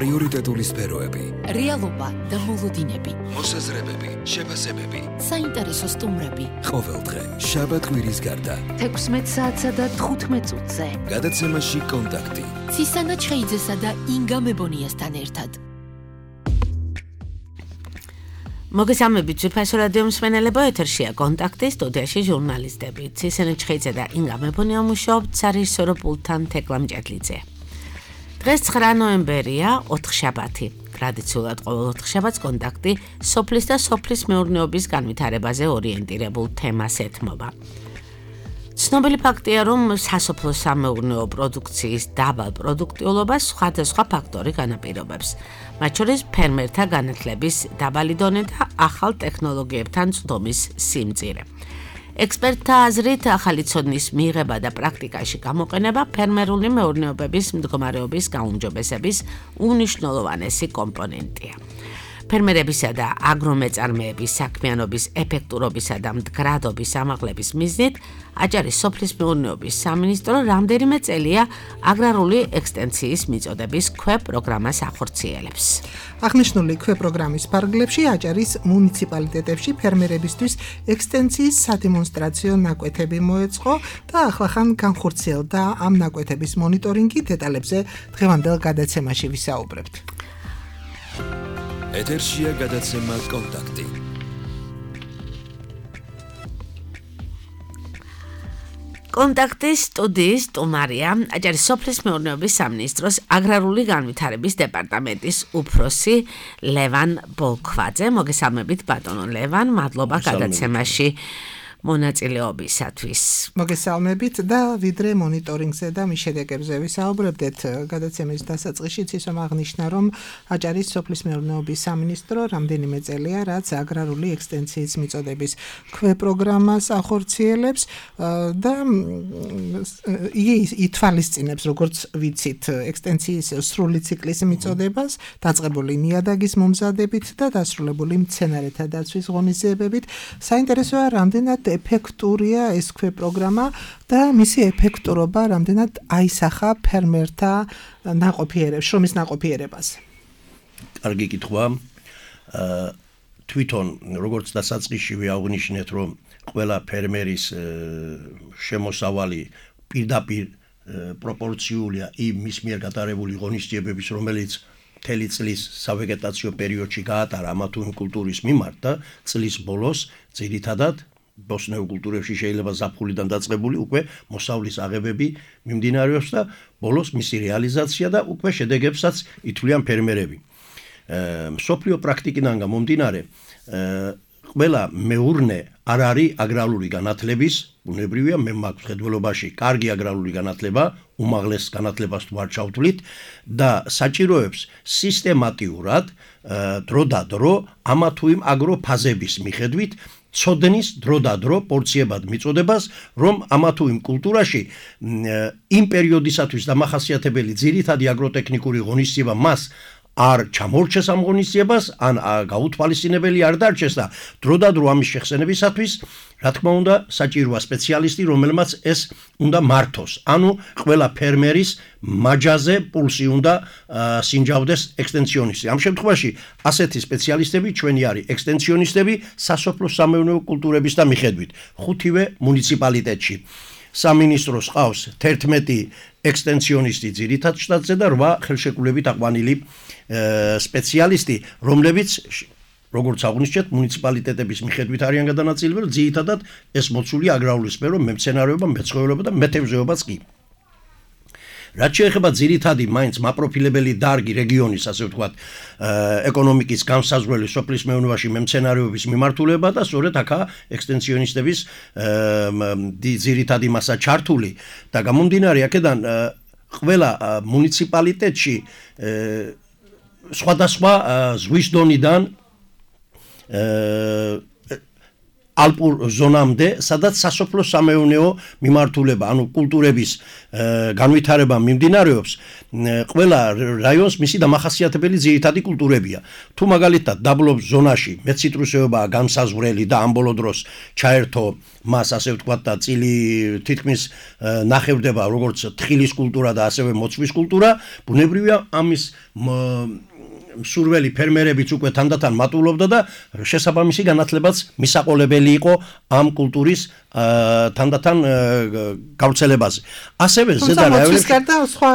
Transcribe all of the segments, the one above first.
პრიორიტეტული სფეროები, რეალობა და მოლოდინები, მოსაზრებები, შეფასებები, საინტერესო სტუმრები. ყოველდღე, შაბათ-კვირის გარდა, 16 საათსა და 15 წუთზე. გადაცემაში კონტაქტი. ცისანა ჩხეიძესა და ინგა მებონიასთან ერთად. მოგესალმებით, ძვირფასო რადიო მსმენელებო, ეთერშია კონტაქტი, სტუდიაში ჟურნალისტები. ცისანა ჩხეიძე და ინგა მებონია მუშაობთ სარეჟისორო პულტთან თეკლა მჭედლიძე. დღეს 9 ნოემბერია, 4 შაბათი. ტრადიციულად ყოველ 4 შაბათს კონტაქტი სოფლის და სოფლის მეურნეობის განვითარებაზე ორიენტირებულ თემას ეთმობა. ცნობილი ფაქტია, რომ სასოფლო სამეურნეო პროდუქციის დაბალ პროდუქტიულობას სხვადასხვა ფაქტორი განაპირობებს. მათ შორის ფერმერთა განათლების დაბალი დონე და ახალ ტექნოლოგიებთან წვდომის სიმწირე. ექსპერტთა აზრით, ახალი ცოდნის მიღება და პრაქტიკაში გამოყენება ფერმერული მეურნეობების მდგომარეობის გაუმჯობესების უნიშნულოვანესი კომპონენტია. ფერმერებისა და აგრომეწარმეების საქმიანობის ეფექტურობისა და მდგრადობის ამაღლების მიზნით აჭარის სოფლის მეურნეობის სამინისტრო რამდენიმე წელია აგრარული ექსტენციის მიწოდების ქვეპროგრამას ახორციელებს. აღნიშნული ქვეპროგრამის ფარგლებში აჭარის მუნიციპალიტეტებში ფერმერებისთვის ექსტენციის სადემონსტრაციო ნაკვეთები მოეწყო და ახლახან განხორციელდა ამ ნაკვეთების მონიტორინგი. დეტალებზე დღევანდელ გადაცემაში ვისაუბრებთ. ეთერშია გადაცემა კონტაქტი. კონტაქტის სტუდიის სტუმარია აჭარის სოფლის მეურნეობის სამინისტროს აგრარული განვითარების დეპარტამენტის უფროსი ლევან ბოლქვაძე. მოგესალმებით ბატონო ლევან, მადლობა გადაცემაში მონაწილეობისათვის. მოგესალმებით და ვიდრე მონიტორინგზე და მის შედეგებზე ვისაუბრებდეთ გადაცემის დასაწყისში, ისე აღნიშნა, რომ აჭარის სოფლის მეურნეობის სამინისტრო რამდენიმე წელია, რაც აგრარული ექსტენციის მიწოდების ქვეპროგრამას ახორციელებს და ითვალისწინებს, როგორც ვიცით, ექსტენციის სრული ციკლის მიწოდებას, დაწყებული ნიადაგის მომზადებით და დასრულებული მცენარეთა დაცვის ღონისძიებებით. საინტერესოა, რამდენად ეფექტურია ეს ქვეპროგრამა და მისი ეფექტურობა რამდენად აისახა ფერმერთა შრომის ნაყოფიერებას. კარგი კითხვა. თვითონ როგორც დასაწყისში აღნიშნეთ, რომ ყველა ფერმერის შემოსავალი პირდაპირ პროპორციულია იმ მის მიერ გატარებული ღონისძიებების, რომელიც მთელი წლის სავეგეტაციო პერიოდში გაატარა ამა თუ იმ კულტურის მიმართ და წლის ბოლოს ძირითადად ბოსნეულ კულტურებში შეიძლება ზაფხულიდან დაწყებული უკვე მოსავლის აღებები მიმდინარეობს და ბოლოს მისი რეალიზაცია და უკვე შედეგებსაც ითვლიან ფერმერები. მსოფლიო პრაქტიკიდან გამომდინარე, ყველა მეურნე არ არის აგრარული განათლების, ბუნებრივია, მე მაქვს მხედველობაში კარგი აგრარული განათლება, უმაღლეს განათლებას თუ არ ჩავთვლით და საჭიროებს სისტემატიურად დრო და დრო ამა თუ იმ აგროფაზების მიხედვით ცოდნის დრო და დრო პორციებად მიწოდებას, რომ ამა თუ იმ კულტურაში იმ პერიოდისათვის დამახასიათებელი ძირითადი აგროტექნიკური ღონისძიება მას არ ჩამორჩეს ამ ღონისძიებას, ან გაუთვალისწინებელი არ დარჩეს და დრო და დრო ამის შეხსენებისათვის, რა თქმა უნდა, საჭიროა სპეციალისტი, რომელმაც ეს უნდა მართოს. ანუ ყველა ფერმერის მაჯაზე პულსი უნდა სინჯავდეს ექსტენციონისტი. ამ შემთხვევაში ასეთი სპეციალისტები ჩვენი არის ექსტენციონისტები სასოფლო სამეურნეო კულტურების და მიხედვით. 5-ვე მუნიციპალიტეტში. სამინისტროს ყავს 11 ექსტენციონისტი ძირითად შტატზე და 8 ხელშეკრულებით აყვანილი სპეციალისტი, რომლებიც როგორც აღნიშნეთ, მუნიციპალიტეტების მიხედვით არიან გადანაწილებული, ძირითადად ეს მოცულია აგრარული სფერო, მემცენარეობა, მეცხოველეობა და მეთევზეობაც კი. რაც შეეხება ძირითადი მაინც მაპროფილებელი დარგი რეგიონის, ასე ვთქვათ, ეკონომიკის განსაზღვრელი სოფლის მეურნეობაში მემცენარეობის მიმართულება და სწორედ აქა ექსტენციონისტების ძირითადი მასა ჩართული და გამომდინარე აქედან ყველა მუნიციპალიტეტში სხვადასხვა ზღვის დონიდან ალპურ ზონამდე, სადაც სასოფლო სამეურნეო მიმართულება, ანუ კულტურების განვითარება მიმდინარეობს, ყველა რაიონს მისი დამახასიათებელი ძირითადი კულტურებია. თუ მაგალითად დაბლობ ზონაში მეციტრუსეობაა განსაზღვრელი და ამ ბოლო დროს ჩაერთო მას ასე ვთქვათ და წილი თითქმის ნახევდება როგორც თხილის კულტურა და ასევე მოცვის კულტურა, ბუნებრივია ამის სურველი ფერმერებიც უკვე თანდათან მატულობდა და შესაბამისი განათლებაც მისაყოლებელი იყო ამ კულტურის თანდათან გავრცელებაზე. ასევე ზედა რაიონებში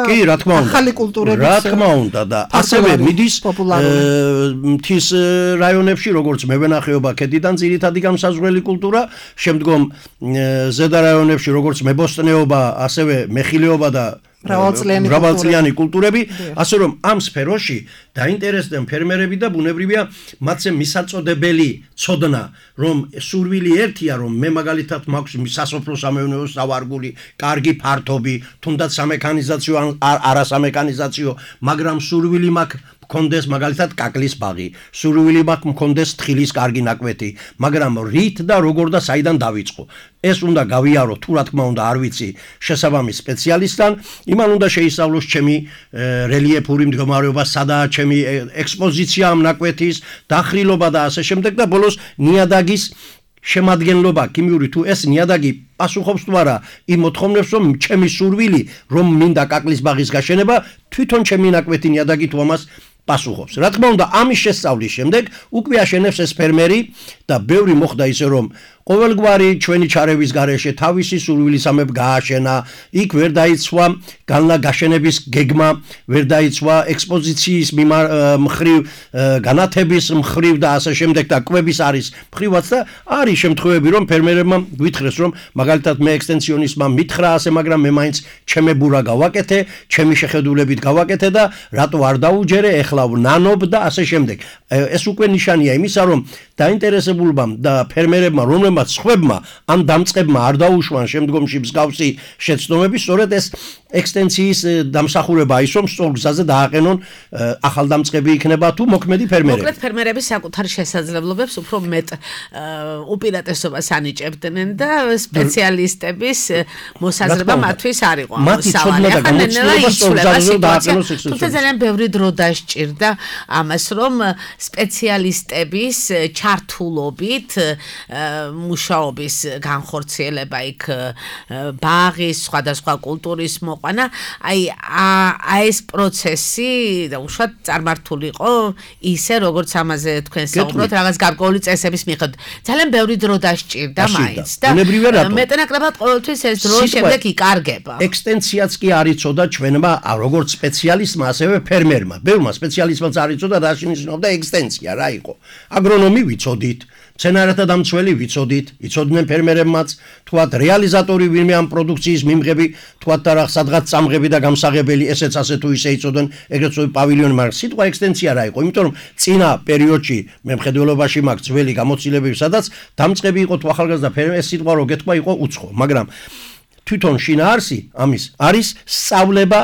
კი რა თქმა უნდა ახალი კულტურები რა თქმა უნდა და ასევე მიდის მთის რაიონებში როგორც მევენახეობა ქედიდან ძირითადი განსაზღვრელი კულტურა, შემდგომ ზედა რაიონებში როგორც მებოსტნეობა, ასევე მეხილეობა და მრავალწლიანი კულტურები, ასე რომ ამ სფეროში დაინტერესდნენ ფერმერები და ბუნებრივია მათზე მისაწოდებელი ცოდნა, რომ სურვილი ერთია, რომ მე მაგალითად მაქვს სასოფლო სამეურნეო სავარგული, კარგი ფართობი, თუნდაც სამექანიზაციო ან არასამექანიზაციო, მაგრამ სურვილი მაქვს მქონდეს მაგალითად კაკლის ბაღი, სურვილი მაქვს მქონდეს თხილის კარგი ნაკვეთი, მაგრამ რით და როგორ და საიდან დავიწყო? ეს უნდა გავიარო, თუ რა თქმა უნდა არ ვიცი შესაბამის სპეციალისტთან, იმან უნდა შეისწავლოს ჩემი რელიეფური მდგომარეობა, სადაა ჩემი ექსპოზიცია ამ ნაკვეთის, დახრილობა და ასე შემდეგ და ბოლოს ნიადაგის შემადგენლობა, ქიმიური თუ ეს ნიადაგი პასუხობს თუ არა იმ მოთხოვნებს, რომ ჩემი სურვილი, რომ მინდა კაკლის ბაღის გაშენება, თვითონ ჩემი ნაკვეთი ნიადაგი თუ ამას პასუხობს. რა თქმა უნდა, ამის შესწავლის შემდეგ უკვე აშენებს ეს ფერმერი და ბევრი მოხდა ისე რომ ყოველგვარი ჩვენი ჩარევის გარეშე თავისი სურვილისამებრ გააშენა, იქ ვერ დაიცვა გაშენების გეგმა, ვერ დაიცვა ექსპოზიციის მხრივ, განათების მხრივ და ასე შემდეგ და კვების არის მხრივაც და არის შემთხვევები რომ ფერმერებმა გვითხრეს რომ მაგალითად მე ექსტენსიონისტმა მითხრა ასე, მაგრამ მე მაინც ჩემებურა გავაკეთე, ჩემი შეხედულებით გავაკეთე და რატო არ დაუჯერე, ეხლა ვნანობ და ასე შემდეგ. ეს უკვე ნიშანია იმისა, რომ დაინტერესებულობამ და ფერმერებმა რომლებმაც სხვებმა ან დამწყებმა არ დაუშვან შემდგომში მსგავსი შეცდომები, სწორედ ეს ექსტენსიის დამსახურება ის რომ სწორ გზაზე დააყენონ ახალდამწყები იქნება თუ მოქმედი ფერმერები. მოკლედ ფერმერები საკუთარ შესაძლებლობებს უფრო მეტ უპირატესობას ანიჭებდნენ და სპეციალისტების მოსაზრება მათთვის არ იყო. მათი ცოდნა და გამოცდილება სწორ გზაზე დააყენოს ეს. თუმცა ძალიან ბევრი დრო დასჭირდა ამას, რომ სპეციალისტების ჩართულობით მუშაობის განხორციელება იქ ბაღის, სხვადასხვა კულტურის მოყვანა, ეს პროცესი და უშუალოდ წარმართულიყო ისე, როგორც ამაზე თქვენ საუბრობთ, რაღაც გარკვეული წესების მიხედვით. ძალიან ბევრი დრო დასჭირდა მაინც და მეტნაკლებად ყოველთვის ეს დრო შემდეგ იკარგება. ექსტენსიაც კი არ იცოდა ჩვენმა როგორც სპეციალისტმა, ასევე ფერმერმა. ბევრმა სპეციალისტმაც არ იცოდა რა შენიშნავდა ექსტენსია, რა იყო. აგრონომი ვიცოდით, მცენარეთა დამცველი ვიცოდით, იცოდნენ ფერმერებმაც, თქვათ რეალიზატორი ვინმე ამ პროდუქციის მიმღები, თქვათ და რაღაც სადღაც წამღები და გამსაღებელი, ესეც ასე თუ ისე იცოდნენ, ეგრეთ წოდებული პავილიონი, მაგრამ სიტყვა ექსტენსია რა იყო? იმიტომ რომ წინა პერიოდში მე მხედველობაში მაქვს ძველი გამოცდილებები, სადაც დამწყები იყო თუ ახალგაზრდა ფერმერი, ეს სიტყვა რო გეთქვა იყო უცხო, მაგრამ თვითონ შინაარსი ამის არის სწავლება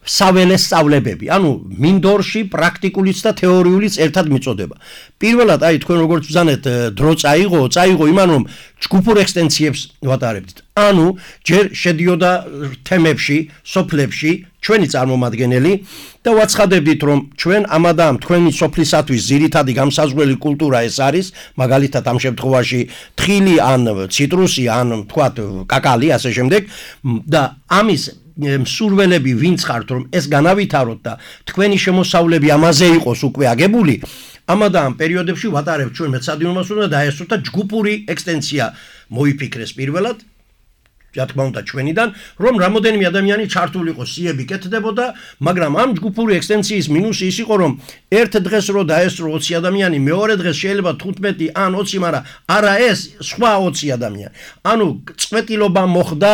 საველე სწავლებები, ანუ მინდორში პრაქტიკულიც და თეორიულიც ერთად მიწოდება. პირველად, თქვენ როგორც ვზანეთ, დრო წაიღო იმან რომ ჯგუფურ ექსტენსიებს ვატარებდით. ანუ ჯერ შედიოდა თემებში, სოფლებში ჩვენი წარმომადგენელი და ვაცხადებდით რომ ჩვენ ამადა ამ თქვენი სოფლისათვის ძირითადი გამსაზღვრელი კულტურა ეს არის, მაგალითად ამ შემთხვევაში თხილი ან ციტრუსი ან თქვათ კაკალი ასე შემდეგ და ამის მსურველები ვინც ხართ რომ ეს განავითაროთ და თქვენი შემოსავლები ამაზე იყოს უკვე აგებული, ამადა ამ პერიოდებში ვატარებთ ჩვენ მეცადინობას უნდა დაესწროთ და ჯგუფური ექსტენსია მოიფიქრეს პირველად, რა თქმა უნდა ჩვენიდან, რომ რამოდენიმე ადამიანი ჩართულიყო, სიები კეთდებოდა, მაგრამ ამ ჯგუფური ექსტენსიის მინუსი ის იყო, რომ ერთ დღეს რო დაესწრო 20 ადამიანი, მეორე დღეს შეიძლება 15 ან 20, მაგრამ არა ეს სხვა 20 ადამიანი. ანუ წვეტილობა მოხდა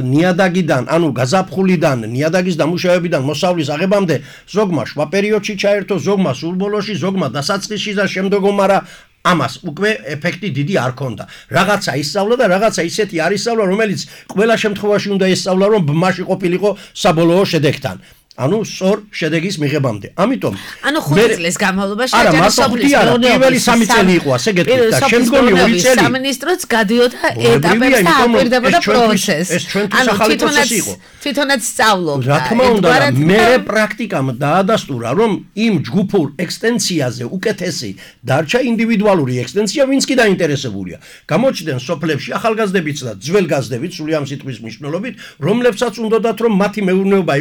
ნიადაგიდან, ანუ გაზაფხულიდან, ნიადაგის დამუშავებიდან მოსავლის აღებამდე, ზოგმა შუა პერიოდში ჩაერთო, ზოგმა სულ ბოლოში, ზოგმა დასაწყისში და შემდგომ, მაგრამ ამას უკვე ეფექტი დიდი არ ქონდა. რაღაცა ისწავლა და რაღაცა ისეთი არ ისწავლა, რომელიც ყველა შემთხვევაში უნდა ისწავლა, რომ ბმაში ყოფილიყო საბოლოო შედეგთან. ანუ სწორ შედეგის მიღებამდე. ამიტომ ანუ 5 წლის განმავლობაში არა, პირველი 3 წელი იყო ასე გეტყვით და შემდგომი 2 წელი სამინისტროც გადიოდა ეტაპებს და აპირდებოდა პროცესს. ეს ჩვენთვის ახალი პროცესი იყო. თვითონაც სწავლობდა. რა თქმა უნდა, მე პრაქტიკამ დაადასტურა, რომ იმ ჯგუფურ ექსტენციაზე უკეთესი დარჩა ინდივიდუალური ექსტენცია, ვინც კი დაინტერესებულია. გამოჩნდნენ სოფლებში ახალგაზრდებიც და ძველგაზრდებიც, სული ამ სიტყვის მნიშვნელობით, რომლებსაც უნდათ რომ მათი მეურნეობა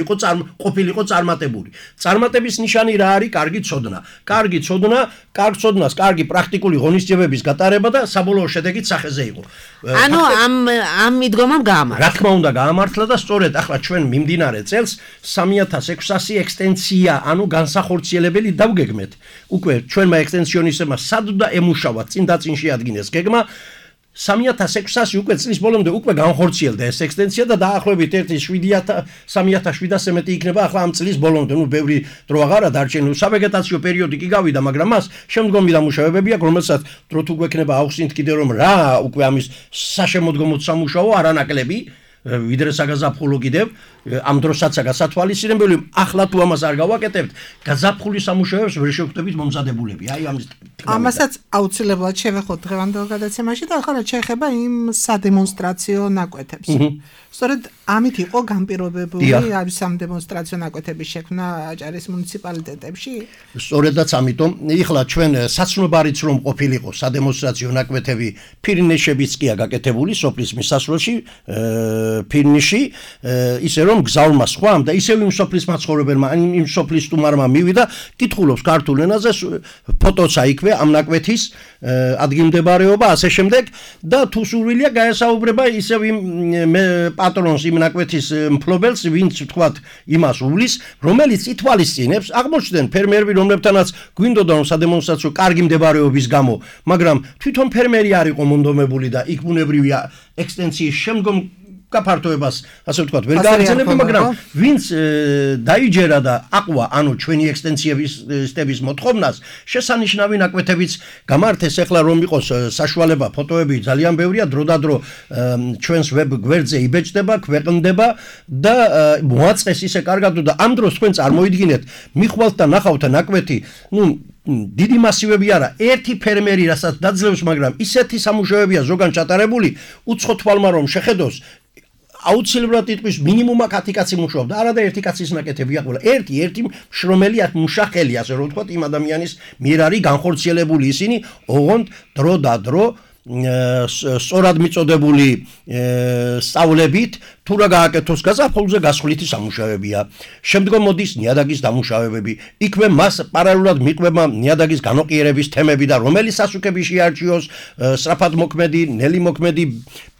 ყოფილიყო წარმატებული. წარმატების ნიშანი რა არის? კარგი ცოდნა. კარგი ცოდნა, კარგ ცოდნას, კარგი პრაქტიკული ღონისძიებების გატარება და საბოლოო შედეგიც სახეზე იყო. ანუ ამ მიდგომამ გაამართლა. რა თქმა უნდა, გაამართლა და სწორედ ახლა ჩვენ მიმდინარე წელს 3600 ექსტენცია, ანუ განსახორციელებელი დავგეგმეთ. უკვე ჩვენმა ექსტენსიონისტებმა სადდა ემუშავა, წინ შეადგინეს გეგმა 3600 უკვე წლის ბოლომდე უკვე განხორციელდა ეს ექსტენცია და დაახლოებით 3700-ზე მეტი იქნება ახლა ამ წლის ბოლომდე. ნუ ბევრი დრო აღარა დარჩენილი. სავეგეტაციო პერიოდი კი გავიდა, მაგრამ მას შემდგომი დამუშავებები აქვს, რომელსაც დრო თუ გვექნება ავხსნით კიდე რომ რა უკვე ამის საშემოდგომოდ სამუშაო არანაკლები ვიდრე საგაზაფხულო კიდევ ამ დროსაც გასათვალისწინებელი. ახლა თუ ამას არ გავაკეთებთ, გაზაფხულის სამუშაოებს ვერ შევხვდებით მომზადებულები. აი ამასაც აუცილებლად შევეხოთ დღევანდელ გადაცემაში და ახლა შეეხება იმ სადემონსტრაციო ნაკვეთებს. სწორედ ამით იყო განპირობებული ამ სადემონსტრაციო ნაკვეთების შექმნა აჭარის მუნიციპალიტეტებში? სწორედაც ამიტომ ეხლა ჩვენ საცნობარიც რომ ყოფილიყო სადემონსტრაციო ნაკვეთები ფირნეშებიც კია გაკეთებული სოფლის მისასვლელში ფირნიში ისე რომ გზავრმა სხვამ და ისევ იმ სოფლის მაცხოვრებელმა იმ სოფლის სტუმარმა მივიდა კითხულობს ქართულ ენაზე ფოტოცა იქვე ამ ნაკვეთის ადგილმდებარეობა ასე შემდეგ და თუ სურვილია გაესაუბრება ისევ იმ პატრონს იმ ნაკვეთის მფლობელს ვინც თქვათ იმას უვლის რომელიც ითვალისწინებს აღმოჩნდნენ ფერმერები რომლებთანაც გვინდოდა რომ სადემონსტრაციო კარგი მდებარეობის გამო მაგრამ თვითონ ფერმერი არ იყო მონდომებული და იქ ბუნებრივია ექსტენსიის შემდგომ გაფართოებას ასე ვთქვათ ვერ გააგრძელებდა მაგრამ ვინც დაიჯერა და აყვა ანუ ჩვენი ექსტენსიების მოთხოვნას შესანიშნავი ნაკვეთებიც გამართეს ახლა რომ იყოს საშუალება ფოტოები ძალიან ბევრია დროდადრო ჩვენს ვებ გვერდზე იბეჭდება ქვეყნდება და მოაწყეს ისე კარგად და ამ დროს თქვენ წარმოიდგინეთ მიხვალთ და ნახავთ ნაკვეთი ნუ დიდი მასივები არა ერთი ფერმერი რასაც დაძლევს მაგრამ ისეთი სამუშაოებია ზოგან ჩატარებული უცხო თვალმა რომ შეხედოს აუცილებლად იტყვის მინიმუმ 10 კაცი მუშაობდა არა და ერთი კაცის ნაკეთებია ყველა ერთი მშრომელი მუშახელი ასე რომ ვთქვათ იმ ადამიანის მიერ არის განხორციელებული ისინი ოღონდ დრო და დრო სწორად მიწოდებული სწავლებით თუ რა გააკეთოს გაზაფხულზე გასხვლითი სამუშაოებია შემდგომ მოდის ნიადაგის დამუშავებები იქვე მას პარალელურად მიყვება ნიადაგის განოყიერების თემები და რომელი სასუქები შეარჩიოს სწრაფად მოქმედი ნელი მოქმედი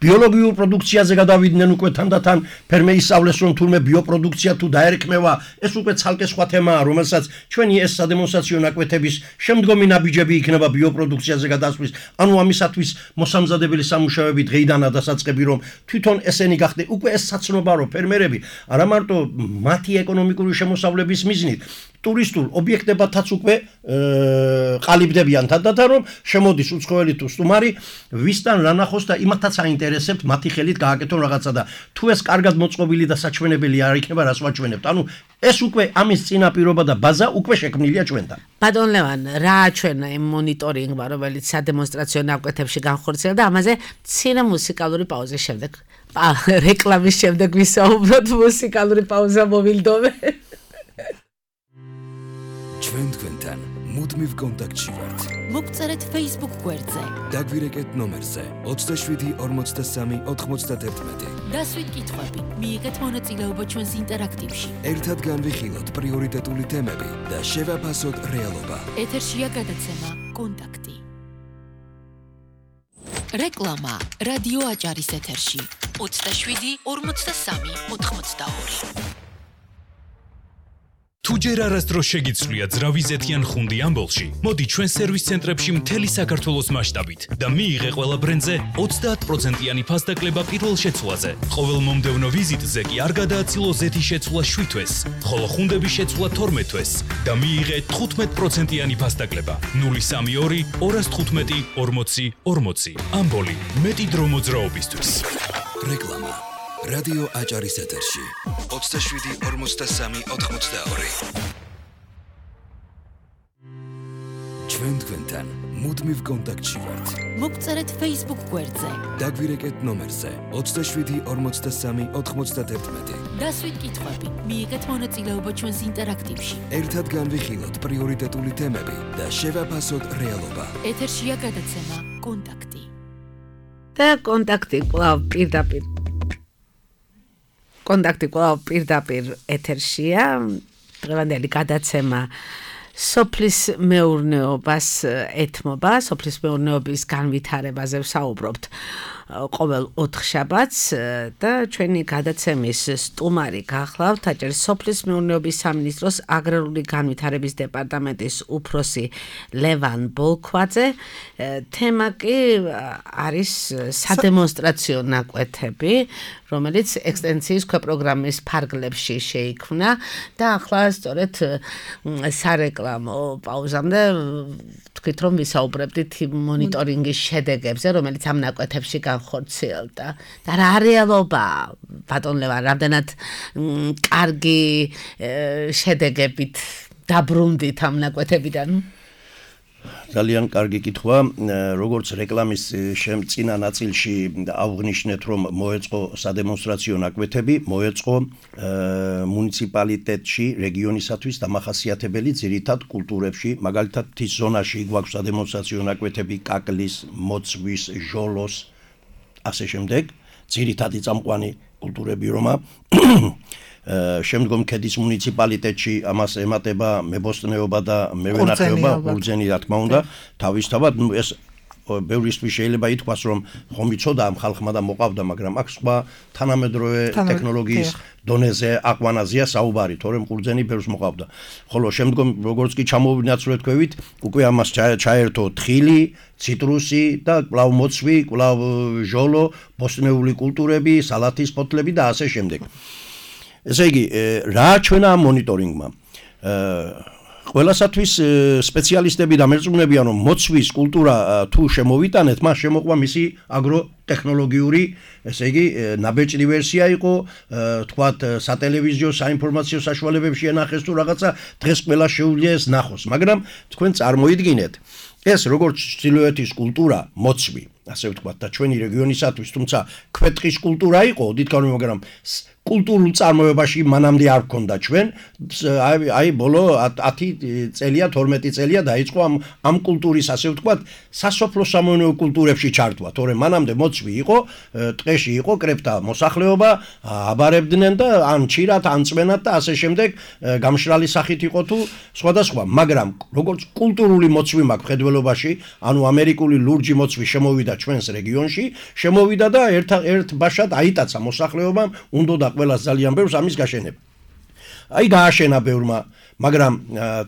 ბიოლოგიურ პროდუქციაზე გადავიდნენ უკვე თანდათან ფერმერის სწავლეს რომ თურმე ბიოპროდუქცია თუ დაერქმევა ეს უკვე ცალკე სხვა თემაა რომელსაც ჩვენი ეს სადემონსტრაციო ნაკვეთების შემდგომი ნაბიჯები იქნება ბიოპროდუქციაზე გადასვლის ანუ ამისათვის მოსამზადებელი სამუშაოები დღეიდანაა დასაწყები რომ თვითონ ესენი გახდნენ უკვე ეს საცნობა რომ ფერმერები არა მარტო მათი ეკონომიკური შემოსავლების მიზნით ტურისტულ ობიექტებათაც უკვე ყალიბდებიან თანდათან რომ შემოდის უცხოელი თუ სტუმარი ვისთან რა ნახოს და იმათაც აინტერესებთ მათი ხელით გააკეთონ რაღაცა და თუ ეს კარგად მოწყობილი და საჩვენებელი არ იქნება რას ვაჩვენებთ ანუ ეს უკვე ამის წინაპირობა და ბაზა უკვე შექმნილია ჩვენთან ბატონ ლევან რა აჩვენა იმ მონიტორინგმა რომელიც სადემონსტრაციო ნაკვეთებში განხორციელდა ამაზე მცირე მუსიკალური პაუზის შემდეგ რეკლამის შემდეგ ვისაუბროთ მუსიკალური პაუზა მოვილდოვე ჩვენ თქვენთან მუდმივ კონტაქტში ვართ. მოგწერეთ Facebook გვერდზე. დაგვირეკეთ ნომერზე 27 43 91. დასვით კითხვები. მიიღეთ მონაწილეობა ჩვენს ინტერაქტივში. ერთად განვიხილოთ პრიორიტეტული თემები და შევაფასოთ რეალობა. ეთერშია გადაცემა კონტაქტი. რეკლამა რადიო აჭარის ეთერში 27 43 82. თუ ჯერ არასდროს შეგიცვლია ძრავიზეთიან ხუნდი ამბოლში, მოდი ჩვენ სერვის ცენტრებში მთელი საქართველოს მასშტაბით და მიიღე ყველა ბრენდზე 30%-იანი ფასდაკლება პირველ შეცვლაზე. ყოველ მომდევნო ვიზიტზე კი არ გადააცილო ზეთის შეცვლა 7 თვეს, ხოლო ხუნდების შეცვლა 12 თვეს და მიიღე 15%-იანი ფასდაკლება. 032 215 40 40. ამბოლი, მეტი დრო მოძრაობისთვის. რეკლამა რადიო აჭარის ეთერში 27-43-82. ჩვენ თქვენთან მუდმივ კონტაქტში ვართ. მოგწერეთ Facebook გვერდზე. დაგვირეკეთ ნომერზე 27-43-91. დასვით კითხვები, მიიღეთ მონაწილეობა ჩვენს ინტერაქტივში. ერთად განვიხილოთ პრიორიტეტული თემები და შევაფასოთ რეალობა. ეთერშია გადაცემა კონტაქტი. და კონტაქტი კვლავ პირდაპირ ეთერშია. დღევანდელი გადაცემა სოფლის მეურნეობას ეთმობა, სოფლის მეურნეობის განვითარებაზე ვსაუბრობთ ყოველ 4 შაბათს და ჩვენი გადაცემის სტუმარი გახლავთ აჭარის სოფლის მეურნეობის სამინისტროს აგრარული განვითარების დეპარტამენტის უფროსი ლევან ბოლქვაძე. თემა კი არის სადემონსტრაციო ნაკვეთები, რომელიც ექსტენსიის პროგრამის ფარგლებში შეიქმნა და ახლა სწორედ სარეკლამო პაუზამდე თქვით რომ ვისაუბრებდით მონიტორინგის შედეგებზე, რომელიც ამ ნაკვეთებში განხორციელდა. და რა რეალობა, ბატონ ლევან, რამდენად კარგი შედეგებით დაბრუნდით ამ ნაკვეთებიდან? ძალიან კარგი კითხვა. როგორც რეკლამის წინა ნაწილში აღვნიშნეთ, რომ მოეწყო სადემონსტრაციო ნაკვეთები, მოეწყო მუნიციპალიტეტში რეგიონისათვის დამახასიათებელი ძირითად კულტურებში, მაგალითად მთის ზონაში გვაქვს სადემონსტრაციო ნაკვეთები კაკლის, მოცვის, ჟოლოს, ასე შემდეგ, ძირითადი წამყვანი კულტურები რომა. შემდგომ ქედის მუნიციპალიტეტში ამას ემატება მებოსტნეობა და მევენახეობა, ბურძენი რა თქმა უნდა, თავისთავად ეს ბევრისთვის შეიძლება ითქვას, რომ ხომ იცოდა ამ ხალხმა და მოყავდა, მაგრამ აქ სხვა თანამედროვე ტექნოლოგიის დონეზე აყვანაზია საუბარი, თორემ ყურძენი ბევრს მოყავდა. ხოლო შემდგომ როგორც კი ჩამოვინაცვლეთ ქვევით, უკვე ამას ჩაერთო თხილი, ციტრუსი და კვლავ მოცვი, კვლავ ჟოლო, ბოსტნეული კულტურები, სალათის ფოთლები და ასე შემდეგ. ესე იგი, რა ჩვენა ამ მონიტორინგმა? ყველასათვის სპეციალისტები და მერწმუნებიან, რომ მოცვის კულტურა თუ შემოვიტანეთ, მას შემოყვა მისი აგროტექნოლოგიური, ესე იგი, ნაბეჭდი ვერსია იყო, თქვათ, სატელევიზიო, საინფორმაციო საშუალებებში ენახეს თუ რაღაცა, დღეს ყველა შეუძლია ეს ნახოს, მაგრამ თქვენ წარმოიდგინეთ, ეს როგორც ჩრდილოეთის კულტურა, მოცვი, ასე ვთქვათ, და ჩვენი რეგიონისათვის, თუმცა ქვეტყის კულტურა იყო, ოდითქავი, მაგრამ კულტურულ წარმოებაში მანამდე არ გქონდა ჩვენ, აი ბოლო 10 წელია, 12 წელია დაიწყო ამ კულტურის, ასე ვთქვათ, სასოფლო სამეურნეო კულტურებში ჩართვა, თორემ მანამდე მოცვი იყო, ტყეში იყო კრეფთა მოსახლეობა, აბარებდნენ და ან ჩირათ, ან წვენათ და ასე შემდეგ, გამშრალი სახით იყო თუ სხვადასხვა, მაგრამ როგორც კულტურული მოცვი მაქვს მხედველობაში, ანუ ამერიკული ლურჯი მოცვი შემოვიდა ჩვენს რეგიონში, შემოვიდა და ერთ ბაშად აიტაცა მოსახლეობამ, უნდა ყველას ძალიან ბევრს ამის გაშენება. აი გააშენა ბევრმა, მაგრამ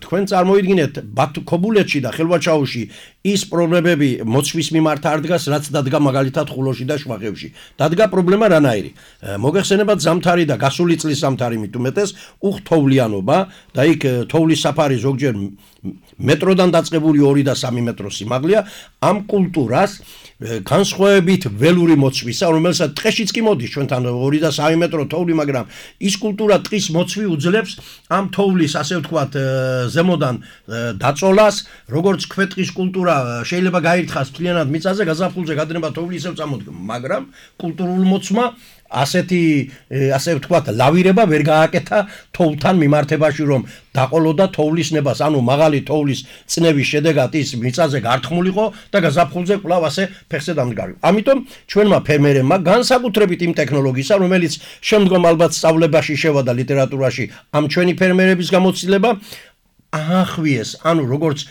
თქვენ წარმოიდგინეთ ქობულეთში და ხელვაჩაუში ის პრობლემები მოცვის მიმართ არ დგას, რაც დადგა მაგალითად ხულოში და შვახევში. დადგა პრობლემა რანაირი? მოგეხსენებათ ზამთარი და გასული წლის ზამთარი მით უმეტეს უხთოვლიანობა და იქ თოვლის საფარი ზოგჯერ მეტროდან დაწყებული 2 და 3 მეტრო სიმაღლეა. ამ კულტურას განსხვავებით ველური მოცვისა, რომელსაც ტყეშიც კი მოდის ჩვენთან 2 და 3 მეტრო თოვლი, მაგრამ ის კულტურა ტყის მოცვი უძლებს ამ თოვლის, ასე ვთქვათ, ზემოდან დაწოლას, როგორც ქვეტყის კულტურა შეიძლება გაირთხას მთლიანად მიწაზე, გაზაფხულზე გადნება თოვლი ისევ წამოდგება, მაგრამ კულტურულ მოცვმა ასე ვთქვათ, ლავირება ვერ გააკეთა თოვლთან მიმართებაში, რომ დაყოლოდა თოვლის ნებას, ანუ მაღალი თოვლის წნევის შედეგად ის მიწაზე გართმულიყო და გაზაფხულზე კვლავ ასე ფეხზე დამდგარიყო. ამიტომ ჩვენმა ფერმერებმა განსაკუთრებით იმ ტექნოლოგიისა, რომელიც შემდგომ ალბათ სწავლებაში შევიდა ლიტერატურაში, ამ ჩვენი ფერმერების გამოცდილება ახვიეს, ანუ როგორც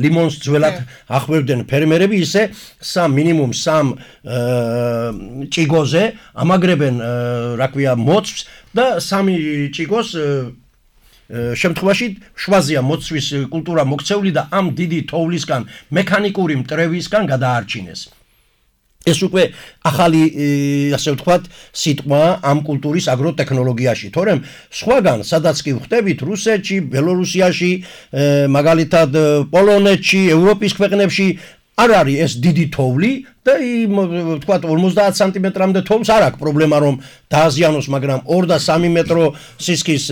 ლიმონს ძველად ახვევდნენ ფერმერები, ისე მინიმუმ 3 ჭიგოზე ამაგრებენ, რა ქვია, მოცვს და 3 ჭიგოს შემთხვევაში შვაზია მოცვის კულტურა მოქცეული და ამ დიდი თოვლისგან, მექანიკური მტრევისგან გადაარჩინეს. ეს უკვე ახალი, ასე ვთქვათ, სიტყვა ამ კულტურის აგროტექნოლოგიაში, თორემ სხვაგან, სადაც კი ვხვდებით, რუსეთში, ბელორუსიაში, მაგალითად პოლონეთში, ევროპის ქვეყნებში არ არის ეს დიდი თოვლი და თქვა 50 სანტიმეტრამდე თოვლის არ აქვს პრობლემა რომ დააზიანოს, მაგრამ 2 და 3 მეტრო სისქის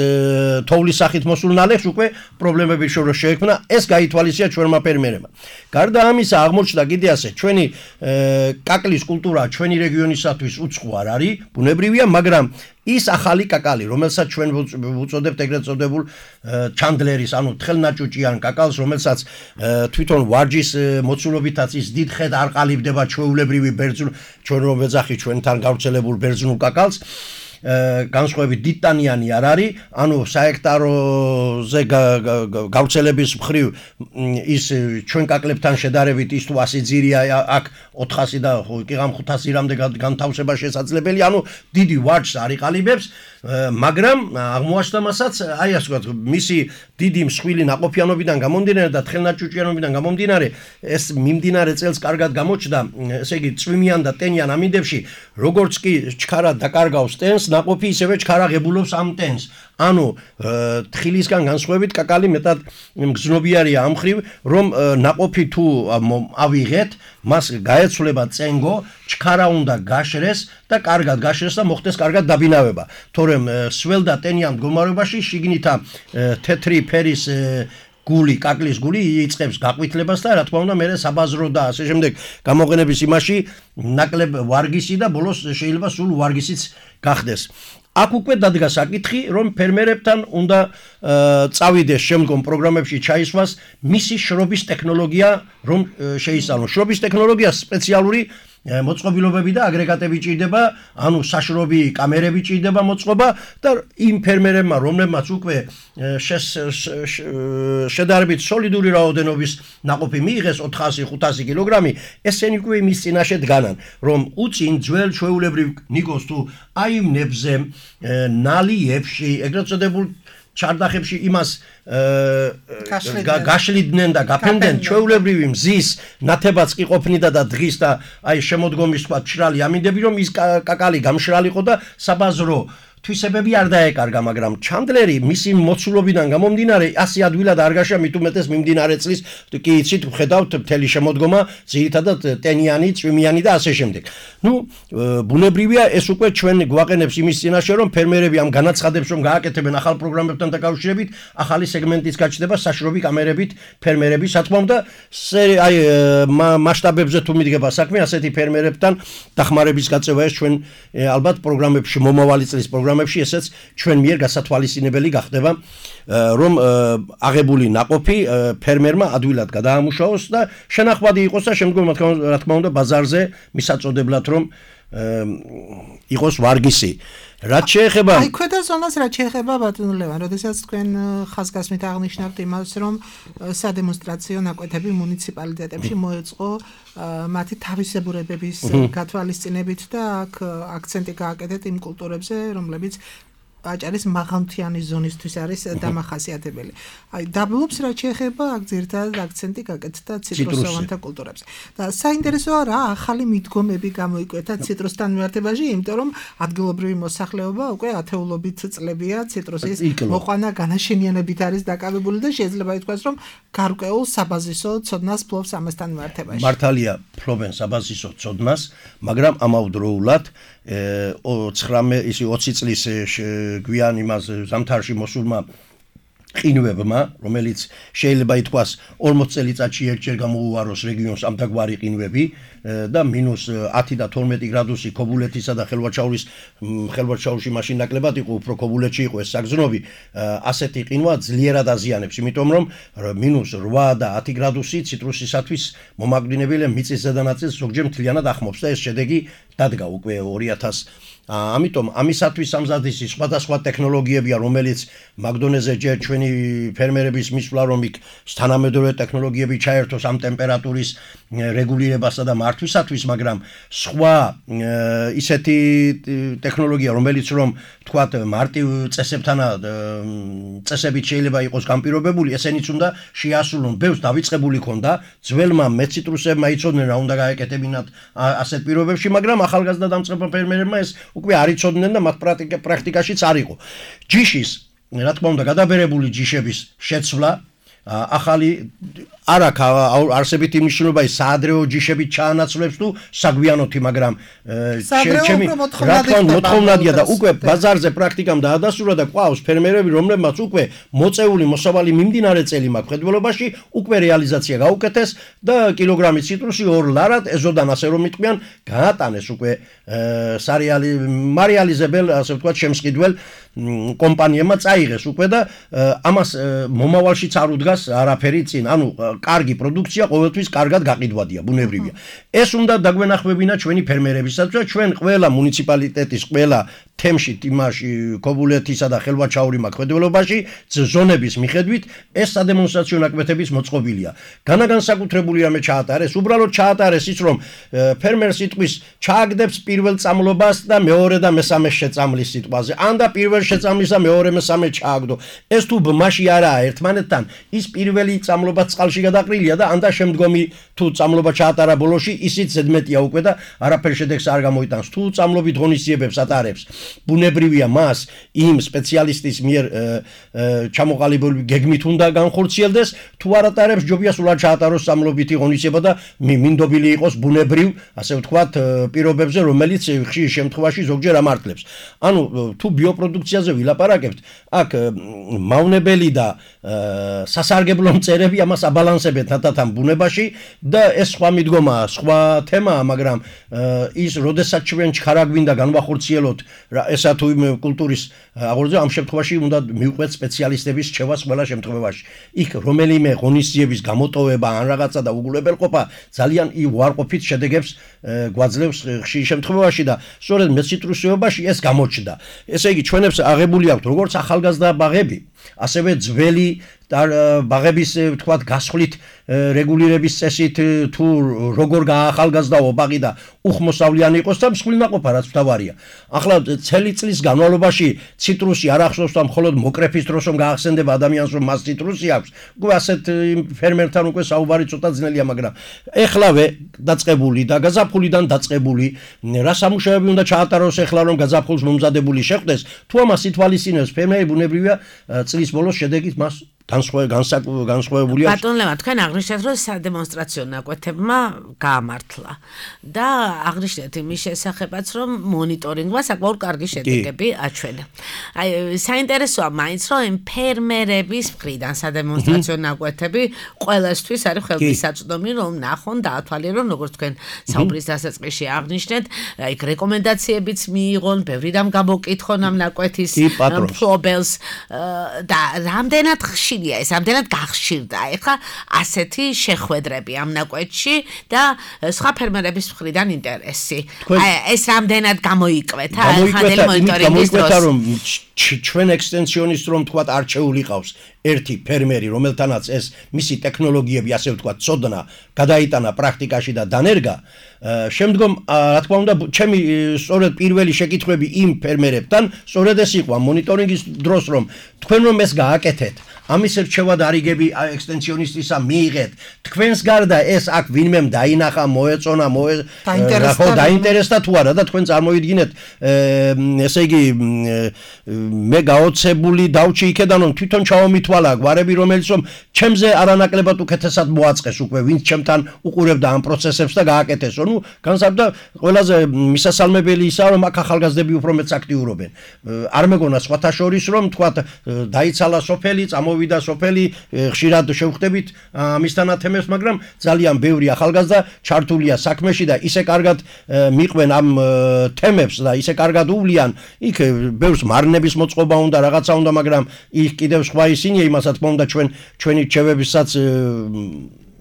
თოვლის სახით მოსულ ნალექს უკვე პრობლემები შეექმნა, ეს გაითვალისწინა ჩვენმა ფერმერებმა. გარდა ამისა აღმოჩნდა კიდე ასე, ჩვენი კაკლის კულტურა ჩვენი რეგიონისათვის უცხო არ არის, ბუნებრივია, მაგრამ ის ახალი კაკალი, რომელსაც ჩვენ ვუწოდებთ ეგრეთ წოდებულ ჩანდლერის, ანუ თხელნაჭუჭიან კაკალს, რომელსაც თვითონ ვარჯის მოცულობითაც ის დიდ ხედ არ ყალიბდება ჩვეულებრივი ბერძნულ, ჩვენ რომ ვეძახი ჩვენთან გავრცელებულ ბერძნულ კაკალს, განსხვავებით დიდტანიანი არ არის, ანუ საექტაროზე გავრცელების მხრივ ის ჩვენ კაკლებთან შედარებით ის თუ 100 ძირია, აქ 400 და კიღამ 500 რამდე განთავსება შესაძლებელი, ანუ დიდი ვარჯს არ იყალიბებს, მაგრამ აღმოაჩნდა მასაც, აი ასე ვთქვათ, მისი დიდი მსხვილი ნაყოფიანობიდან გამომდინარე და თხელნაჭუჭიანობიდან გამომდინარე, ეს მიმდინარე წელს კარგად გამოჩნდა, ესე იგი წვიმიან და ტენიან ამინდებში, როგორც კი ჩქარა დაკარგავს ტენს, ნაყოფი ისევე ჩქარაღებულობს ამ ტენს. ანუ თხილისგან განსხვავებით კაკალი მეტად მგზნობიარია ამ მხრივ, რომ ნაყოფი თუ ავიღეთ, მას გაეცვლება წენგო, ჩქარა უნდა გაშრეს და კარგად გაშრეს და მოხდეს კარგად დაბინავება. თორემ სველ და ტენიან მდგომარეობაში შიგნითა თეთრი ფერის გული, კაკლის გული იწყებს გაყვითლებას და რა თქმა უნდა მე საბაზრო და ასე შემდეგ გამოყენების იმაში ნაკლებ ვარგისი და ბოლოს შეიძლება სულ ვარგისიც გახდეს. აქ უკვე დადგა საკითხი, რომ ფერმერებთან უნდა წავიდეს შემდგომ პროგრამებში ჩაისვას მისი შრობის ტექნოლოგია, რომ შეისწავლონ. შრობის ტექნოლოგია სპეციალური მოწყობილობები და აგრეგატები ჭირდება, ანუ საშრობი კამერები ჭირდება მოწყობა და იმ ფერმერებმა, რომლებმაც უკვე შედარებით სოლიდური რაოდენობის ნაყოფი მიიღეს 400-500 კილოგრამი, ესენი უკვე იმის წინაშე დგანან, რომ უწინ ძველ ჩვეულებრივ ნიკოს თუ აიმნებზე, ნალიებში, ეგრეთ წოდებულ ჩარდახებში იმას გაშლიდნენ და გაფენდნენ ჩვეულებრივი მზის ნათებაც კი ყოფნიდა და დღის და აი შემოდგომის თქვა მშრალი ამინდები, რომ ის კაკალი გამშრალიყო და საბაზრო თვისებები არ დაეკარგა, მაგრამ ჩანდლერი მისი მოცულობიდან გამომდინარე ასე ადვილად არ გაშა, მით უმეტეს მიმდინარე წლის კი იცით ვხედავთ მთელი შემოდგომა ძირითადად ტენიანი, წვიმიანი და ასე შემდეგ. ნუ ბუნებრივია ეს უკვე ჩვენ გვაყენებს იმის წინაშე, რომ ფერმერები ამ განაცხადებს რომ გააკეთებენ ახალ პროგრამებთან დაკავშირებით, ახალი სეგმენტის გაჩნდება საშრობი კამერებით ფერმერების, რა თქმა უნდა, აი მასშტაბებზე თუ მიდგება საქმე, ასეთი ფერმერებთან დახმარების გაწევა ეს ჩვენ ალბათ პროგრამებში მომავალი წლის ესეც ჩვენ მიერ გასათვალისწინებელი გახდება, რომ აღებული ნაყოფი ფერმერმა ადვილად გადაამუშავოს და შენახვადი იყოს და შემდგომ რა თქმა უნდა ბაზარზე მისაწოდებლად რომ იყოს ვარგისი. რაც შეეხება აი ქვედა ზონას რაც შეეხება ბატონ ლევან, როდესაც თქვენ ხაზგასმით აღნიშნავთ იმას, რომ სადემონსტრაციო ნაკვეთები მუნიციპალიტეტებში მოეწყო მათი თავისებურებების გათვალისწინებით და აქ აქცენტი გააკეთეთ იმ კულტურებზე, რომლებიც აჭარის მაღალმთიანი ზონისთვის არის დამახასიათებელი. აი დაბლობს რაც შეეხება აქ ძირითადად აქცენტი გაკეთდა ციტრუსოვანთა კულტურებზე. და საინტერესოა რა ახალი მიდგომები გამოიკვეთა ციტრუსთან მიმართებაში, იმიტომ რომ ადგილობრივი მოსახლეობა უკვე ათეულობით წლებია ციტრუსის მოყვანა განაშენიანებით არის დაკავებული და შეიძლება ითქვას, რომ გარკვეულ საბაზისო ცოდნას ფლობს ამასთან მიმართებაში. მართალია ფლობენ საბაზისო ცოდნას, მაგრამ ამავდროულად 20 წლის გვიან იმას ზამთარში მოსულმა ყინვებმა, რომელიც შეიძლება ითქვას 40 წელიწადში ერთჯერ გამოუვაროს რეგიონს ამდაგვარი ყინვები და -10 და 12 გრადუსი ქობულეთისა და ხელვაჩაურში მაშინ ნაკლებად იყო, უფრო ქობულეთში იყო ეს საგზნობი, ასეთი ყინვა ძლიერად აზიანებს, იმიტომ რომ -8 და 10 გრადუსი ციტრუსისათვის მომაკვდინებელი მიწის ზედანაწილს ზოგჯერ მთლიანად ახმობს და ეს შედეგი დადგა უკვე 2000 ამიტომ ამისათვის სამზადისი სხვადასხვა ტექნოლოგიებია, რომელიც მაგდონეზე ჯერ ჩვენი ფერმერების მისვლა რომ იქ თანამედროვე ტექნოლოგიები ჩაერთოს ამ ტემპერატურის რეგულირებასა და მართვისათვის, მაგრამ სხვა ისეთი ტექნოლოგია, რომელიც რომ თქვათ მარტივ წესებით შეიძლება იყოს განპირობებული, ესენიც უნდა შეასრულონ. ბევრს დავიწყებული ქონდა, ძველმა მეციტრუსებმა იცოდნენ რა უნდა გაეკეთებინათ ასეთ პირობებში, მაგრამ ახალგაზრდა დამწყება ფერმერებმა ეს უკვე არ იცოდნენ და მათ პრაქტიკაშიც არ იყო. ჯიშის, რა თქმა უნდა, გადაბერებული ჯიშების შეცვლა ახალი არ აქვს არსებითი მნიშვნელობა ის საადრეო ჯიშებით ჩაანაცვლებს თუ საგვიანოთი, მაგრამ ჩემი რა თქმა უნდა მოთხოვნადია და უკვე ბაზარზე პრაქტიკამ დაადასტურა და ყავს ფერმერები, რომლებმაც უკვე მოწეული მოსავალი მიმდინარე წელი მაქვს ხედველობაში, უკვე რეალიზაცია გაუკეთეს და კილოგრამი ციტრუსი 2 ლარად ეზოდან ასე რომ იტყვიან გაატანეს უკვე მარიალიზებელ, ასე ვთქვათ, შემსყიდველ კომპანიებმა წაიღეს უკვე და ამას მომავალშიც არ უდგას არაფერი წინ. ანუ კარგი პროდუქცია ყოველთვის კარგად გაყიდვადია, ბუნებრივია. ეს უნდა დაგვენახმებინა ჩვენი ფერმერებისაც, ჩვენ ყველა მუნიციპალიტეტის ყველა თემში, იმაში, ქობულეთისა და ხელვაჩაური მაქმედველობაში ზონების მიხედვით ეს სადემონსტრაციო ნაკვეთების მოწყობილია. განსაკუთრებული რამე ჩაატარეს, უბრალოდ ჩაატარეს ის, რომ ფერმერს იტყვის ჩააგდებს პირველ წამლობას და მეორე და მესამე შეწამლის სიტყვაზე. ან და პირველ შეწამლის და მეორე მესამე ჩააგდო. ეს თუ ბმაში არაა ერთმანეთთან, ის პირველი წამლობა წყალში გადაყრილია და ან და შემდგომი თუ წამლობა ჩაატარა ბოლოში, ისიც ზედმეტია უკვე და არაფერ შედეგს არ გამოიტანს. თუ წამლობით ღონისძიებებს ატარებს, ბუნებრივია მას იმ სპეციალისტის მიერ ჩამოყალიბებული გეგმით უნდა განხორციელდეს, თუ არ ატარებს ჯობია სულად ჩაატაროს წამლობითი ღონისძიება და მინდობილი იყოს ბუნებრივ, ასე ვთქვათ, პირობებზე, რომელიც ხშირ შემთხვევაში ზოგჯერ ამართლებს. ანუ თუ ბიოპროდუქციაზე ვილაპარაკებთ, აქ მავნებელი და სასარგებლო მწერები ამას აბალანსებენ თათათან ბუნებაში და ეს სხვა მიდგომაა, სხვა თემაა, მაგრამ ის როდესაც ჩვენ ჩქარა გვინდა განვახორციელოთ ესა თუ იმ კულტურის აღორძინება, ამ შემთხვევაში უნდა მივყვეთ სპეციალისტების რჩევას ყველა შემთხვევაში. იქ რომელიმე ღონისძიების გამოტოვება ან რაღაცა და უგულებელყოფა ძალიან უარყოფით შედეგებს გვაძლევს ხშირ შემთხვევაში და სწორედ მეციტრუსეობაში ეს გამოჩნდა. ესე იგი ჩვენებს აღებული აქვთ როგორც ახალგაზრდა ბაღები, ასევე ძველი ბაღების ვთქვათ გასხვლით რეგულირების წესით თუ როგორ გაახალგაზრდაო ბაღი და უხმოსავლიანი იყოს და მსხვილნაყოფა რაც მთავარია. ახლა წელი წლის განმავლობაში ციტრუსი არ ახსოვს და მხოლოდ მოკრეფის დროს რომ გაახსენდება ადამიანს რომ მას ციტრუსი აქვს. უკვე ასეთ ფერმერთან უკვე საუბარი ცოტა ძნელია, მაგრამ ეხლავე დაწყებული და გაზაფხულიდან დაწყებული რა სამუშაოები უნდა ჩაატაროს ეხლა რომ გაზაფხულს მომზადებული შეხვდეს, თუ ამას ითვალისწინებს ფერმერი ბუნებრივია წლის ბოლოს შედეგით მას განსხვავებულია. ბატონ ლევა, თქვენ აღნიშნეთ, რომ სადემონსტრაციო ნაკვეთებმა გაამართლა და აღნიშნეთ იმის შესახებაც, რომ მონიტორინგმა საკმაოდ კარგი შედეგები აჩვენა. აი, საინტერესოა მაინც, რომ იმ ფერმერების მხრიდან სადემონსტრაციო ნაკვეთები ყველასთვის არის ხელმისაწვდომი, რომ ნახონ და ათვალიერონ, როგორც თქვენ საუბრის დასაწყისში აღნიშნეთ, აი, რეკომენდაციებიც მიიღონ, ბევრიდან გამოკითხონ ამ ნაკვეთის მფლობელს და რამდენად ხშირია ეს, რამდენად გახშირდა ეხლა ასეთი შეხვედრები ამ ნაკვეთში და სხვა ფერმერების მხრიდან ინტერესი. ეს რამდენად გამოიკვეთა ხანდელი მონიტორინგის დროს. გამოიკვეთა რომ ჩვენ ექსტენსიონისტ რომ თქვათ არჩეული ყავს ერთი ფერმერი, რომელთანაც ეს მისი ტექნოლოგიები, ასე ვთქვათ, ცოდნა გადაიტანა პრაქტიკაში და დანერგა. შემდგომ რა თქმა უნდა ჩემი სწორედ პირველი შეკითხვები იმ ფერმერებთან სწორედ ეს იყო მონიტორინგის დროს, რომ თქვენ რომ ეს გააკეთეთ, ამის რჩევა დარიგები ექსტენსიონისტისა მიიღეთ. თქვენს გარდა ეს აქ ვინმემ დაინახა, მოეწონა, დაინტერესდა თუ არა და თქვენ წარმოიდგინეთ, ესე იგი მე გაოცებული დავჭი იქედან რომ თვითონ ჩავომითვალა გვარები, რომელიც რომ ჩემზე არანაკლებად უკეთესად მოაწყეს უკვე, ვინც ჩემთან უყურებდა ამ პროცესებს და გააკეთესო. ნუ განსაკუთრებით ყველაზე მისასალმებელი ისაა, რომ აქ ახალგაზრდები უფრო მეც აქტიურობენ. არ მეგონა სხვათა შორის რომ თქვათ დაიცალა სოფელი, წამოვიდა სოფელი, ხშირად შევხვდებით ამისთან ათემებს, მაგრამ ძალიან ბევრი ახალგაზრდა ჩართულია საქმეში და ისე კარგად მიყვენ ამ თემებს და ისე კარგად უვლიან, იქ ბევრს მარნების მოწყობა უნდა, რაღაცა უნდა, მაგრამ იქ კიდევ სხვა ისინია, იმას რა თქმა უნდა ჩვენი რჩევებისაც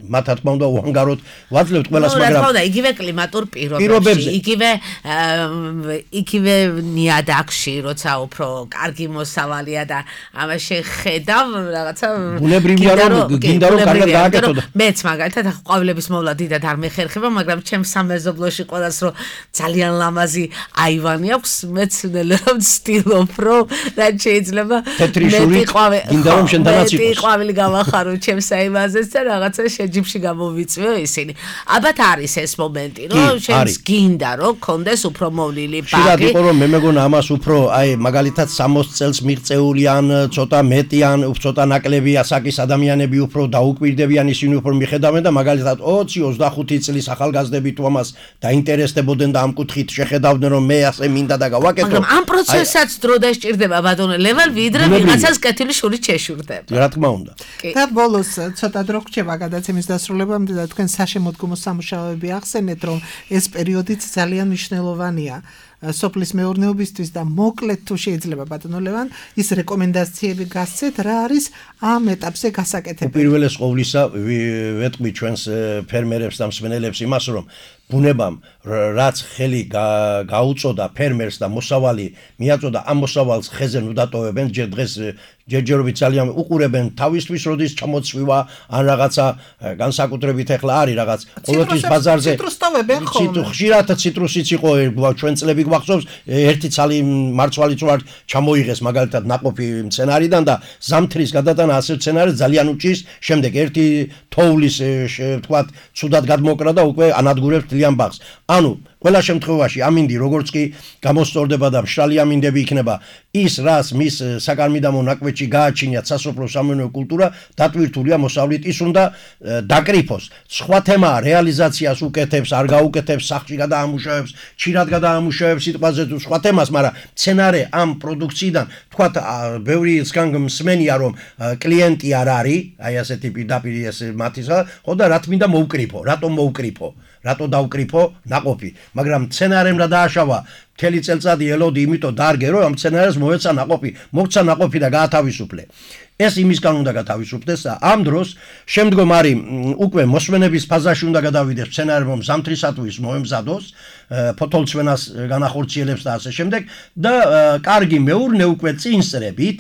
მათ რა თქმა უნდა უანგაროდ ვაძლევთ ყველას, მაგრამ რა თქმა უნდა იგივე კლიმატურ პირობებში, იგივე ნიადაგში, როცა უფრო კარგი მოსავალია და ამაში ხედავ რაღაცა ბუნებრივია რომ გინდა რომ კარგად გააკეთო და მეც მაგალითად ყვავილების მოვლა დიდად არ მეხერხება, მაგრამ ჩემს სამეზობლოში ყველას რომ ძალიან ლამაზი აივანი აქვს, მეც ნელ-ნელა ვცდილობ რომ რაც შეიძლება მეტი ყვავილი გავახარო ჩემს აივანზეც და რაღაცა რეჟიმში გამოვიწვიო ისინი. ალბათ არის ეს მომენტი, რომ შენს გინდა რომ კონდეს უფრო მოვლილი ბაღი. შეიძლება იყოს რომ მე მეგონა ამას უფრო აი მაგალითად 60 წელს მიღწეული ან ცოტა მეტი ან ცოტა ნაკლები ასაკის ადამიანები უფრო დაუკვირდებიან ისინი უფრო მიხედავენ და მაგალითად 20-25 წლის ახალგაზრდები თუ ამას დაინტერესდებოდნენ და ამ კუთხით შეხედავდნენ რომ მე ასე მინდა და გავაკეთო. მაგრამ ამ პროცესსაც დრო დასჭირდება ბატონო ლევან ვიდრე ვიღაცას კეთილი შურით შეშურდება. რა თქმა უნდა. და ბოლოს ცოტა დრო გრჩება გადაცემის დასრულებამდე და თქვენ საშემოდგომო სამუშაოები ახსენეთ რომ ეს პერიოდიც ძალიან მნიშვნელოვანია სოფლის მეურნეობისთვის და მოკლედ თუ შეიძლება ბატონო ლევან ის რეკომენდაციები გასცეთ რა არის ამ ეტაპზე გასაკეთებელი. უპირველეს ყოვლისა ვეტყვი ჩვენს ფერმერებს და მსმენელებს იმას რომ ბუნებამ რაც ხელი გაუწოდა ფერმერს და მოსავალი მიაწოდა ამ მოსავალს ხეზე ნუ დატოვებენ დღეს ჯერჯერობით ძალიან უყურებენ თავისთვის როდის ჩამოცვივა ან რაღაცა განსაკუთრებით ახლა არის რაღაც ყოველთვის ბაზარზე ხშირად ციტრუსიც იყო ჩვენ წლები გვახსოვს ერთი ცალი მარცვალიც ვარ ჩამოიღეს მაგალითად ნაყოფი მცენარიდან და ზამთრის გადატანა ასე მცენარე ძალიან უჭირს შემდეგ ერთი თოვლის თქვათ ცუდად გადმოკრა და უკვე ანადგურებს ძალიან ბაღს ანუ ყველა შემთხვევაში ამინდი როგორც კი გამოსწორდება და მშრალი ამინდები იქნება ის რას მის საკარმიდამო ნაკვეთში გააჩინიათ სასოფლო სამეურნეო კულტურა დატვირთულია მოსავლით ის უნდა დაკრიფოს სხვა თემაა რეალიზაციას უკეთებს არ გაუკეთებს სახში გადაამუშავებს ჩირად გადაამუშავებს სიტყვაზე თუ სხვა თემას მაგრამ მცენარე ამ პროდუქციიდან თქვათ ბევრი მსმენია რომ კლიენტი არ არის აი ასეთი პირდაპირ ეს მათისა ხო და რა თმინდა მოუკრიფო რატომ მოუკრიფო რატო დაუკრიფო ნაყოფი მაგრამ მცენარემ რა დააშავა მთელი წელწადი ელოდი იმიტომ დარგე რომ ამ მცენარეს მოეცა ნაყოფი მოგცა ნაყოფი და გაათავისუფლე ეს იმისგან უნდა გათავისუფლდეს და ამ დროს შემდგომ არის უკვე მოსვენების ფაზაში უნდა გადავიდეს მცენარემ ზამთრისათვის მოემზადოს ფოთოლცვენას განახორციელებს და ასე შემდეგ და კარგი მეურნე უკვე წინსწრებით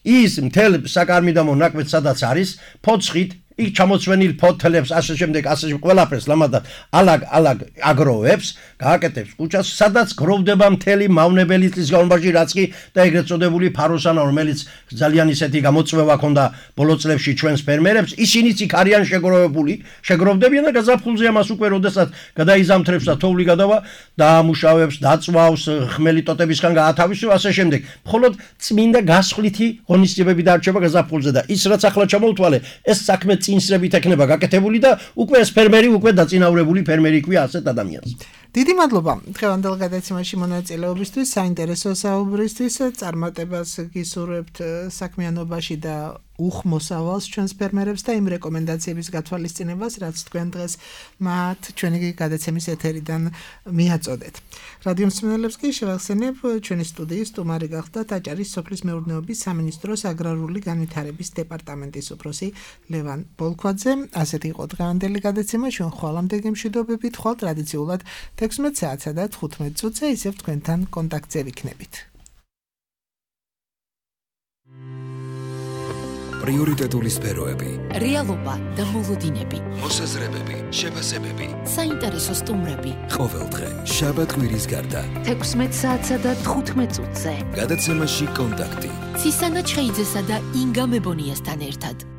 ის მთელ საკარმიდამო ნაკვეთს სადაც არის ფოცხით იქ ჩამოცვენილ ფოთლებს ასე შემდეგ ასე ყველაფერს ლამადად ალაგ აგროვებს გააკეთებს კუჩას სადაც გროვდება მთელი მავნებელი წლის განმავლობაში რაც კი და ეგრეთ წოდებული ფაროსანა რომელიც ძალიან ისეთი გამოწვევა ქონდა ბოლო წლებში ჩვენს ფერმერებს ისინიც იქ არიან შეგროვდებიან და გაზაფხულზე ამას უკვე როდესაც გადაიზამთრებს და თოვლი გადავა დაამუშავებს დაწვავს ხმელი ტოტებისგან გაათავისუფლებს ასე შემდეგ მხოლოდ წმინდა გასხვლითი ღონისძიებები დარჩება გაზაფხულზე და ის რაც ახლა ჩამოვთვალე ეს საქმე წინსრებით ექნება გაკეთებული და უკვე ეს ფერმერი უკვე დაწინაურებული ფერმერი ქვია ასეთ ადამიანს. დიდი მადლობა დღევანდელ გადაცემაში მონაწილეობისთვის, საინტერესო საუბრისთვის, წარმატებას გისურვებთ საქმიანობაში და უხმოსავალს ჩვენს ფერმერებს და იმ რეკომენდაციების გათვალისწინებას, რაც თქვენ დღეს მათ ჩვენი გადაცემის ეთერიდან მიაწოდეთ. რადიო მსმენელებს კი შევახსენებ ჩვენი სტუდიის სტუმარი გახდა აჭარის სოფლის მეურნეობის სამინისტროს აგრარული განვითარების დეპარტამენტის უფროსი ლევან ბოლქვაძე. ასეთი იყო დღევანდელი გადაცემა, ჩვენ ხვალამდე გემშვიდობებით, ხვალ ტრადიციულად 16 საათსა და 15 წუთზე ისევ თქვენთან კონტაქტზე ვიქნებით. პრიორიტეტული სფეროები, რეალობა და მოლოდინები, მოსაზრებები, შეფასებები, საინტერესო სტუმრები. ყოველდღე, შაბათ-კვირის გარდა, 16 საათსა და 15 წუთზე. გადაცემაში კონტაქტი. ცისანა ჩხეიძესა და ინგა მებონიასთან ერთად.